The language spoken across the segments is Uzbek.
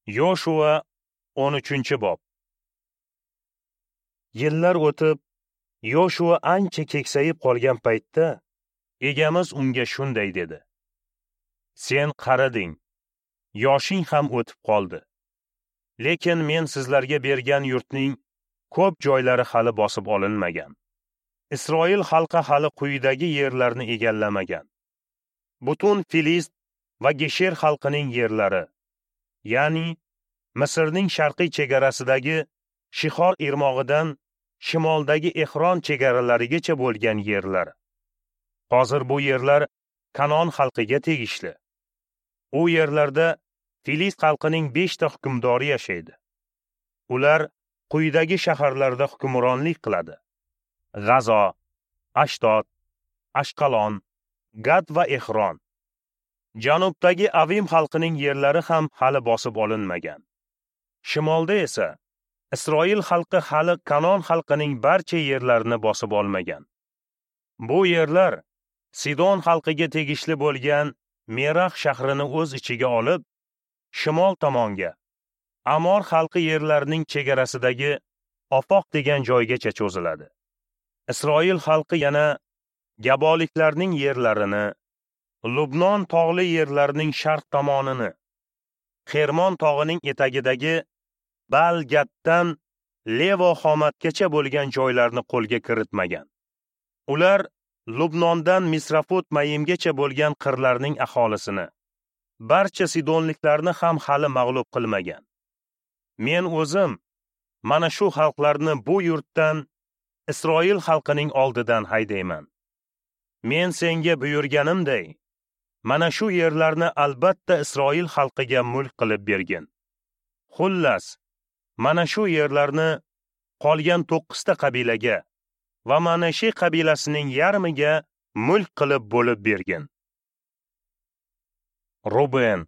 Yoshua 13-bob. Yillar o'tib, Yoshua ancha keksayib qolgan paytda Egamiz unga shunday dedi: Sen qariding, yoshing ham o'tib qoldi. Lekin men sizlarga bergan yurtning ko'p joylari hali bosib olinmagan. Isroil xalqi hali quyidagi yerlarni egallamagan. Butun Filist va Gesher xalqining yerlari, ya'ni Misrning sharqiy chegarasidagi Shihor irmog'idan shimoldagi Ehron chegaralarigacha bo'lgan yerlar. Hozir bu yerlar Kanon xalqiga tegishli. U yerlarda Filist xalqining 5 ta hukmdori yashaydi. Ular quyidagi shaharlarda hukmronlik qiladi: G'azo, Ashdod, Ashqalon, Gad va Ehron. Janubdagi Avim xalqining yerlari ham hali bosib olinmagan. Shimolda esa Isroil xalqi hali Kanon xalqining barcha yerlarini bosib olmagan. Bu yerlar Sidon xalqiga tegishli bo'lgan Merax shahrini o'z ichiga olib, shimol tomonga, Amor xalqi yerlarining chegarasidagi Ofoq degan joygacha cho'ziladi. Isroil xalqi yana Gaboliklarning yerlarini, Lubnon tog'li yerlarining sharq tomonini, Xermon tog'ining etagidagi Balgatdan Levo Xomatgacha bo'lgan joylarni qo'lga kiritmagan. Ular Lubnondan Misrafut Mayimgacha bo'lgan qirlarning aholisini, barcha sidonliklarni ham hali mag'lub qilmagan. Men o'zim mana shu xalqlarni bu yurtdan, Isroil xalqining oldidan haydayman. Men senga buyurganimday, mana shu yerlarni albatta Isroil xalqiga mulk qilib bergin. Xullas, mana shu yerlarni qolgan 9 ta qabilaga va Manashe qabilasining yarmiga mulk qilib bo'lib bergin. Ruben,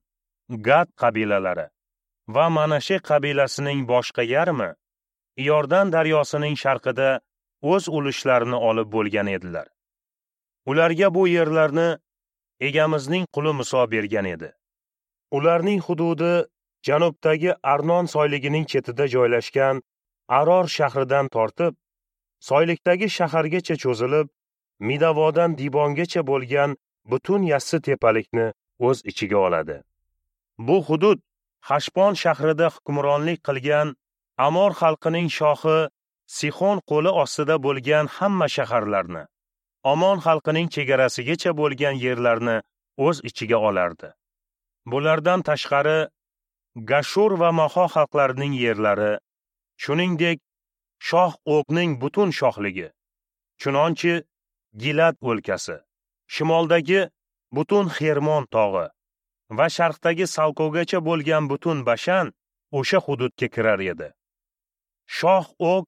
Gad qabilalari va Manashe qabilasining boshqa yarmi Iordan daryosining sharqida o'z ulushlarini olib bo'lgan edilar. Ularga bu yerlarni Egamizning quli Muso bergan edi. Ularning hududi janubdagi Arnon soyligining chetida joylashgan Aror shahridan tortib, soylikdagi shahargacha cho'zilib, Midavodan Dibongacha bo'lgan butun yassi tepalikni o'z ichiga oladi. Bu hudud Hashbon shahrida hukmronlik qilgan Amor xalqining shohi Sixon qo'li ostida bo'lgan hamma shaharlarni, Omon xalqining chegarasigacha bo'lgan yerlarni o'z ichiga olardi. Bulardan tashqari Gashur va Maho xalqlarining yerlari, shuningdek Shoh O'qning butun shohligi, chunonchi Gilad o'lkasi, shimoldagi butun Xermon tog'i va sharqdagi Salkogacha bo'lgan butun Bashan o'sha hududga kirar edi. Shoh O'q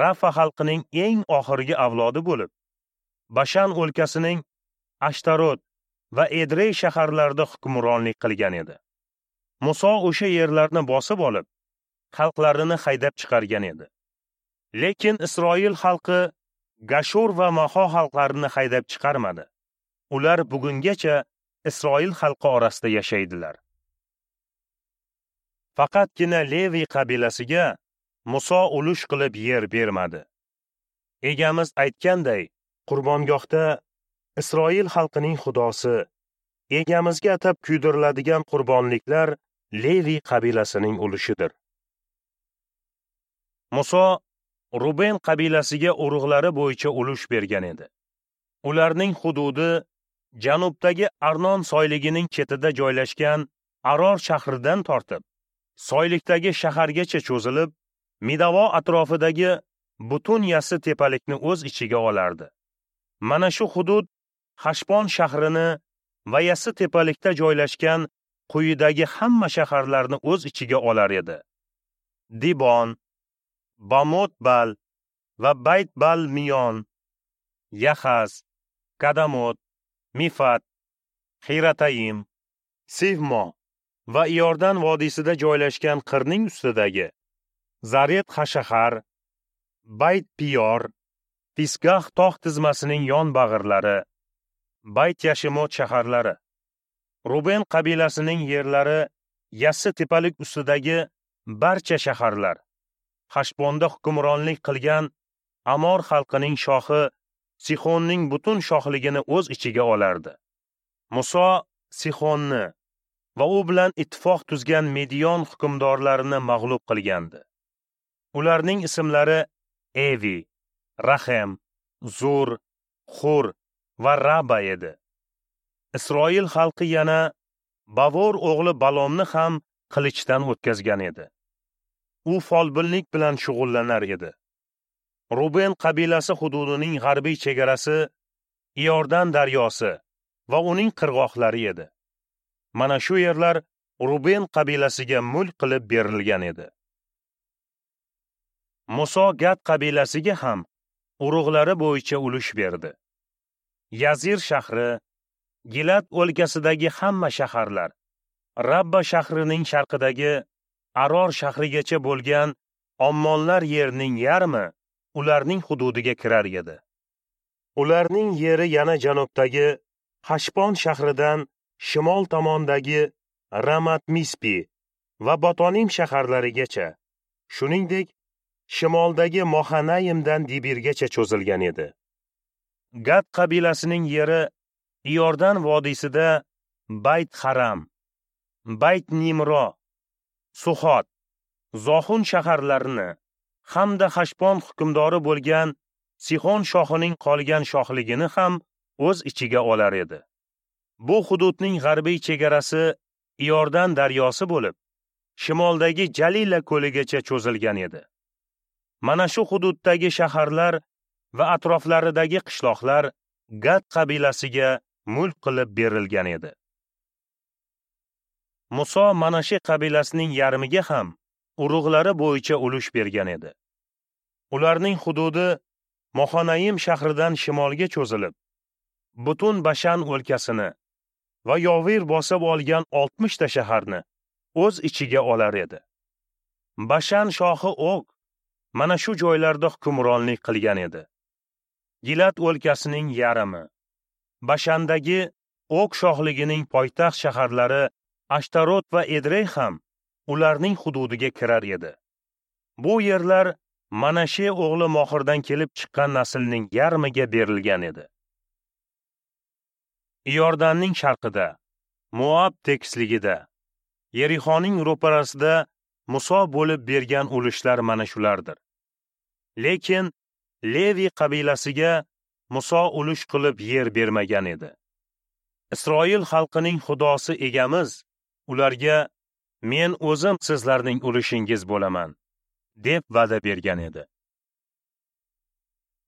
Rafa xalqining eng oxirgi avlodi bo'lib, Bashan o'lkasining Ashtarot va Edrey shaharlarida hukmronlik qilgan edi. Muso o'sha yerlarni bosib olib, xalqlarini haydab chiqargan edi. Lekin Isroil xalqi Gashur va Maho xalqlarini haydab chiqarmadi. Ular bugungacha Isroil xalqi orasida yashaydilar. Faqatgina Levi qabilasiga Muso ulush qilib yer bermadi. Egamiz aytganday, qurbongohda Isroil xalqining xudosi Egamizga atab kuydiriladigan qurbonliklar Levi qabilasining ulushidir. Muso Ruben qabilasiga urug'lari bo'yicha ulush bergan edi. Ularning hududi janubdagi Arnon soyligining chetida joylashgan Aror shahridan tortib, soylikdagi shahargacha cho'zilib, Midavo atrofidagi butun yassi tepalikni o'z ichiga olardi. Mana shu hudud Hashbon shahrini va yassi tepalikda joylashgan quyidagi hamma shaharlarni o'z ichiga olar edi: Dibon, Bamot-Bal va Bayt-Bal-Miyon, Yahaz, Kadamot, Mifat, Xiratayim, Sivmo va Iordan vodiysida joylashgan qirning ustidagi Zaret Hashahar, Bayt-Piyor, Fisgah tog' tizmasining yon bag'irlari, Bayt Yashimot shaharlari. Ruben qabilasining yerlari Yassi tepalik ustidagi barcha shaharlar, Hashbonda hukmronlik qilgan Amor xalqining shohi Sixonning butun shohligini o'z ichiga olardi. Muso Sixonni va u bilan ittifoq tuzgan Medion hukmdorlarini mag'lub qilgandi. Ularning ismlari Evi, Rahem, Zur, Xur va Raba edi. Isroil xalqi yana Bavor o'g'li Balomni ham qilichdan o'tkazgan edi. U folbinlik bilan shug'ullanar edi. Ruben qabilasi hududining g'arbiy chegarasi Iordan daryosi va uning qirg'oqlari edi. Mana shu yerlar Ruben qabilasiga mulk qilib berilgan edi. Muso Gad qabilasiga ham urug'lari bo'yicha ulush berdi. Yazir shahri, Gilad o'lkasidagi hamma shaharlar, Rabba shahrining sharqidagi Aror shahrigacha bo'lgan Ommonlar yerining yarmi ularning hududiga kirar edi. Ularning yeri yana janubdagi Hashbon shahridan shimol tomondagi Ramat Mispi va Botonim shaharlarigacha, shuningdek, shimoldagi Mohanayimdan Dibirgacha cho'zilgan edi. Gad qabilasining yeri Iordan vodiysida Bayt Haram, Bayt Nimro, Suxot, Zohun shaharlarini hamda Hashbon hukmdori bo'lgan Sixon shohining qolgan shohligini ham o'z ichiga olar edi. Bu hududning g'arbiy chegarasi Iordan daryosi bo'lib, shimoldagi Jalila ko'ligacha cho'zilgan edi. Mana shu hududdagi shaharlar va atroflaridagi qishloqlar Gad qabilasiga mulk qilib berilgan edi. Muso Manashe qabilasining yarmiga ham urug'lari bo'yicha ulush bergan edi. Ularning hududi Mohanayim shahridan shimolga cho'zilib, butun Bashan o'lkasini va Yovir bosib olgan 60 ta shaharni o'z ichiga olar edi. Bashan shohi Og mana shu joylarda hukmronlik qilgan edi. Gilad o'lkasining yarmi, Bashandagi Og shohligining poytaxt shaharlari Ashtarot va Edrey ham ularning hududiga kirar edi. Bu yerlar Manashe o'g'li Mohirdan kelib chiqqan naslning yarmiga berilgan edi. Iordanning sharqida, Moab tekisligida, Yerixoning ro'parasida Muso bo'lib bergan ulushlar mana shulardir. Lekin Levi qabilasiga Muso ulush qilib yer bermagan edi. Isroil xalqining Xudosi egamiz ularga men o'zim sizlarning ulushingiz bo'laman, deb va'da bergan edi.